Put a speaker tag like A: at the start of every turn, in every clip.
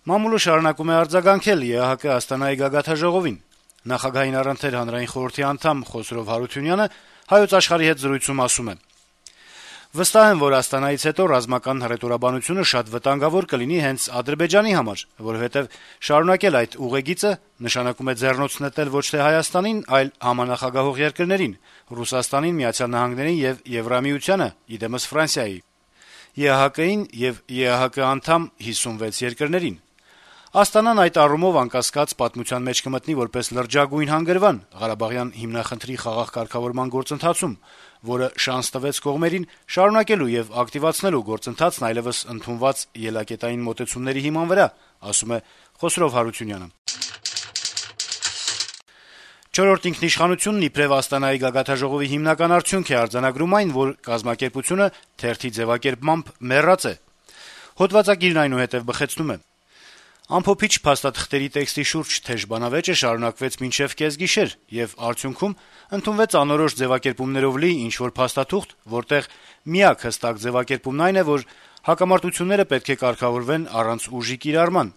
A: Մամուլը շարունակում է արձագանքել ԵԱՀԿ Աստանայի գագաթաժողովին։ Նախագահային առընթեր հանրային խորհրդի անդամ Խոսրով Հարությունյանը Հայոց Աշխարհի հետ զրույցում ասում է. «Վստահ եմ, որ Աստանայից հետո ռազմական հռետորաբանությունը շատ վտանգավոր կլինի հենց Ադրբեջանի համար, որովհետեւ շարունակել այդ ուղեգիծը նշանակում է ձեռնոց նետել ոչ թե Հայաստանին, այլ համանախագահող երկրներին՝ Ռուսաստանին, Միացյալ Նահանգներին եւ Եվրամիությանը, իդեմս Ֆրանսիայի, ԵԱՀԿ-ին եւ ԵԱՀԿ անդամ 56 երկրներին։ Աստանան այդ առումով անկասկած պատմության մեջ կմտնի որպես լրջագույն հանգրվան Ղարաբաղյան հիմնախնդրի խաղաղ կարգավորման գործընթացում, որը շանս տվեց կողմերին շարունակելու եւ ակտիվացնելու գործընթացն այլեւս ընդունված ելակետային մոտեցումների հիման վրա», ասում է Խոսրով Հարությունյանը։ «Չորրորդ ինքնիշխանությունն» իբրեւ Աստանայի գագաթաժողովի հիմնական արդյունք է արձանագրում այն, որ կազմակերպությունը թերթի ձեւակերպմամբ մեռած է։ Հոդվածագիրն այնուհետեւ բխեցնում է. «Ամփոփիչ փաստաթղթերի տեքստի շուրջ թեժ բանավեճը շարունակվեց մինչեւ կեսգիշեր, եւ արդյունքում ընդունվեց անորոշ ձեւակերպումներով լի ինչ-որ փաստաթուղթ, որտեղ միակ հստակ ձեւակերպումն այն է, որ հակամարտությունները պետք է կարգավորվեն առանց ուժի կիրառման։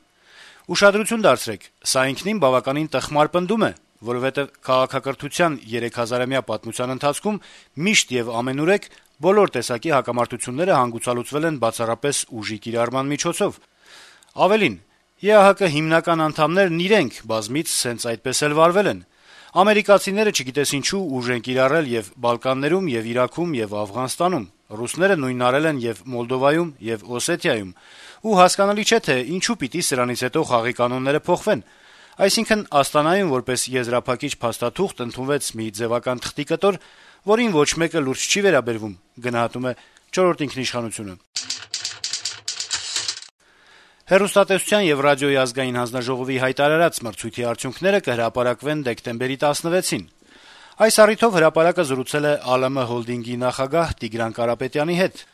A: Ուշադրություն դարձրեք, սա ինքնին բավականին տխմար պնդում է, որովհետեւ քաղաքակրթության 3000-ամյա պատմության ընթացքում միշտ եւ ամենուրեք բոլոր տեսակի հակամարտությունները հանգուցալուծվել են բացառապես ուժի կիրառման միջոցով։ Ավելին, ԵԱՀԿ հիմնական անդամներն իրենք բազմից սենց այդպես էլ վարվել են։ Ամերիկացիները չգիտես ինչու ուժ են կիրառել եւ Բալկաններում, եւ Իրաքում, եւ Աֆղանստանում, ռուսները նույնն արել են եւ Մոլդովայում, եւ Օսեթիայում, ու հասկանալի չէ, թե ինչու պիտի սրանից հետո խաղի կանոնները փոխվեն։ Այսինքն Աստանայում որպես եզրափակիչ փաստաթուղթ ընդունվեց մի ձևական թղթի կտոր, որին ոչ մեկը լուրջ չի վերաբերվում», գնահատում է «Չորրորդ ինքնիշխանությունը»։ Հեռուստատեսության եւ ռադիոյի ազգային հանձնաժողովի հայտարարած մրցույթի արդյունքները կհրապարակվեն դեկտեմբերի 16-ին։ Այս առիթով հրապարակը զրուցել է ԱԼՄ հոլդինգի նախագահ Տիգրան Կարապետյանի հետ։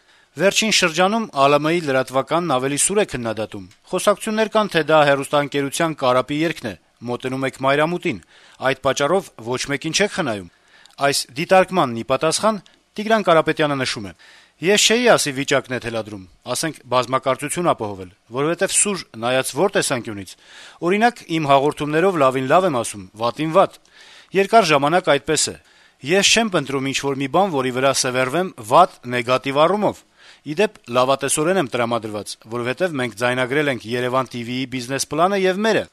A: Վերջին շրջանում ԱԼՄ-ի լրատվականն ավելի սուր է քննադատում։ Խոսակցություններ կան, թե դա հեռուստաընկերության կարապի երգն է, մոտենում եք մայրամուտին, այդ պատճառով ոչ մեկին չեք խնայում։ Այս դիտարկմանն ի պատասխան Տիգրան Կարապետյանը նշում է. «Ես չէի ասի վիճակն է թելադրում, ասենք բազմակարծություն ապահովել, որովհետեւ սուր նայած որ տեսանկյունից։ Օրինակ, իմ հաղորդումներով լավին լավ եմ ասում, վատին վատ։ Երկար ժամանակ այդպես է։ Ես չեմ ընտրում ինչ-որ մի բան, որի վրա սեվեռվեմ վատ, նեգատիվ առումով։ Ի դեպ, լավատեսորեն եմ տրամադրված, որովհետեւ մենք ձայնագրել ենք Երևան TV-ի բիզնես պլանը եւ մերը։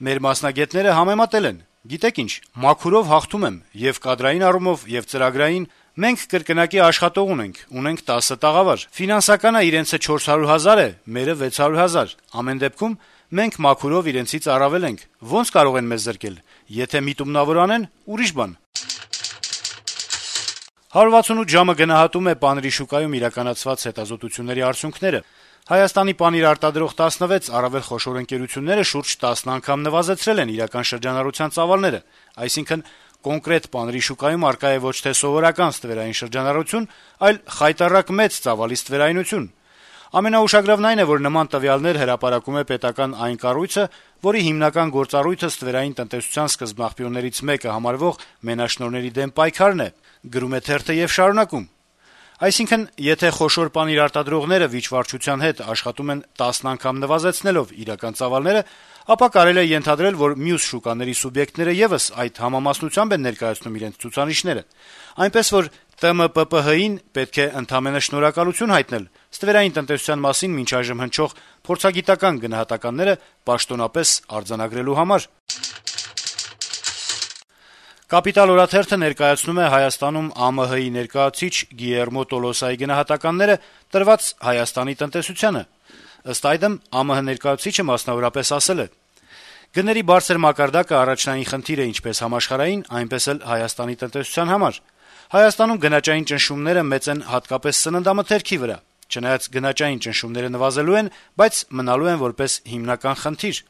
A: Մեր մասնագետները համեմատել են։ Գիտեք ինչ, մաքուրով հաղթում եմ եւ կադրային առումով եւ ծրագրային։ Մենք կրկնակի աշխատող ունենք 10 տաղավար։ Ֆինանսականը իրենցը 400,000 է, մերը 600,000։ Ամեն դեպքում մենք մաքուրով իրենցից առավել ենք։ Ոնց կարող են մեզ զրկել։ Եթե միտումնավոր անեն, ուրիշ բան»։ 168 ժամը գնահատում է պանիրի շուկայում իրականացված հետազոտությունների արդյունքները։ Հայաստանի պանիր արտադրող 16 առավել խոշոր ընկերությունները շուրջ 10 անգամ նվազեցրել են իրական շրջանառության ծավալները, այսինքն կոնկրետ պանիրի շուկայում առկա է ոչ թե սովորական ստվերային շրջանառություն, այլ խայտառակ մեծ ծավալի ստվերայնություն։ Ամենաուշագրավն այն է, որ նման տվյալներ հրապարակում է պետական այն կառույցը, որի հիմնական գործառույթը ստվերային տնտեսության սկզբնաղբյուրներից մեկը համարվող մենաշնորհների դեմ պայքարն է, գրում է թերթը եւ շարունակում. Այսինքն, եթե խոշոր պանիր արտադրողները վիճվարչության հետ աշխատում են 10 անգամ նվազեցնելով իրական ծավալները, ապա կարելի է ենթադրել, որ մյուս շուկաների սուբյեկտները եւս այդ համամասնությամբ են ներկայացնում իրենց ցուցանիշները։ Այնպես որ ՏՄՊՊՀ-ին պետք է ընդամենը շնորհակալություն հայտնել ստվերային տնտեսության մասին մինչ այժմ հնչող փորձագիտական գնահատականները պաշտոնապես արձանագրելու համար։ Կապիտալ օրաթերթը ներկայացնում է Հայաստանում ԱՄՀ-ի ներկայացուցիչ Գիերմո Տոլոսայի գնահատականները տրված Հայաստանի տնտեսությանը։ Ըստ այդմ ԱՄՀ ներկայացուցիչը մասնավորապես ասել է. «Գների բարձր մակարդակը առաջնային խնդիր է ինչպես համաշխարհային, այնպես էլ Հայաստանի տնտեսության համար։ Հայաստանում գնաճային ճնշումները մեծ են հատկապես սննդամթերքի վրա։ Չնայած գնաճային ճնշումները նվազելու են, բայց մնալու են որպես հիմնական խնդիր։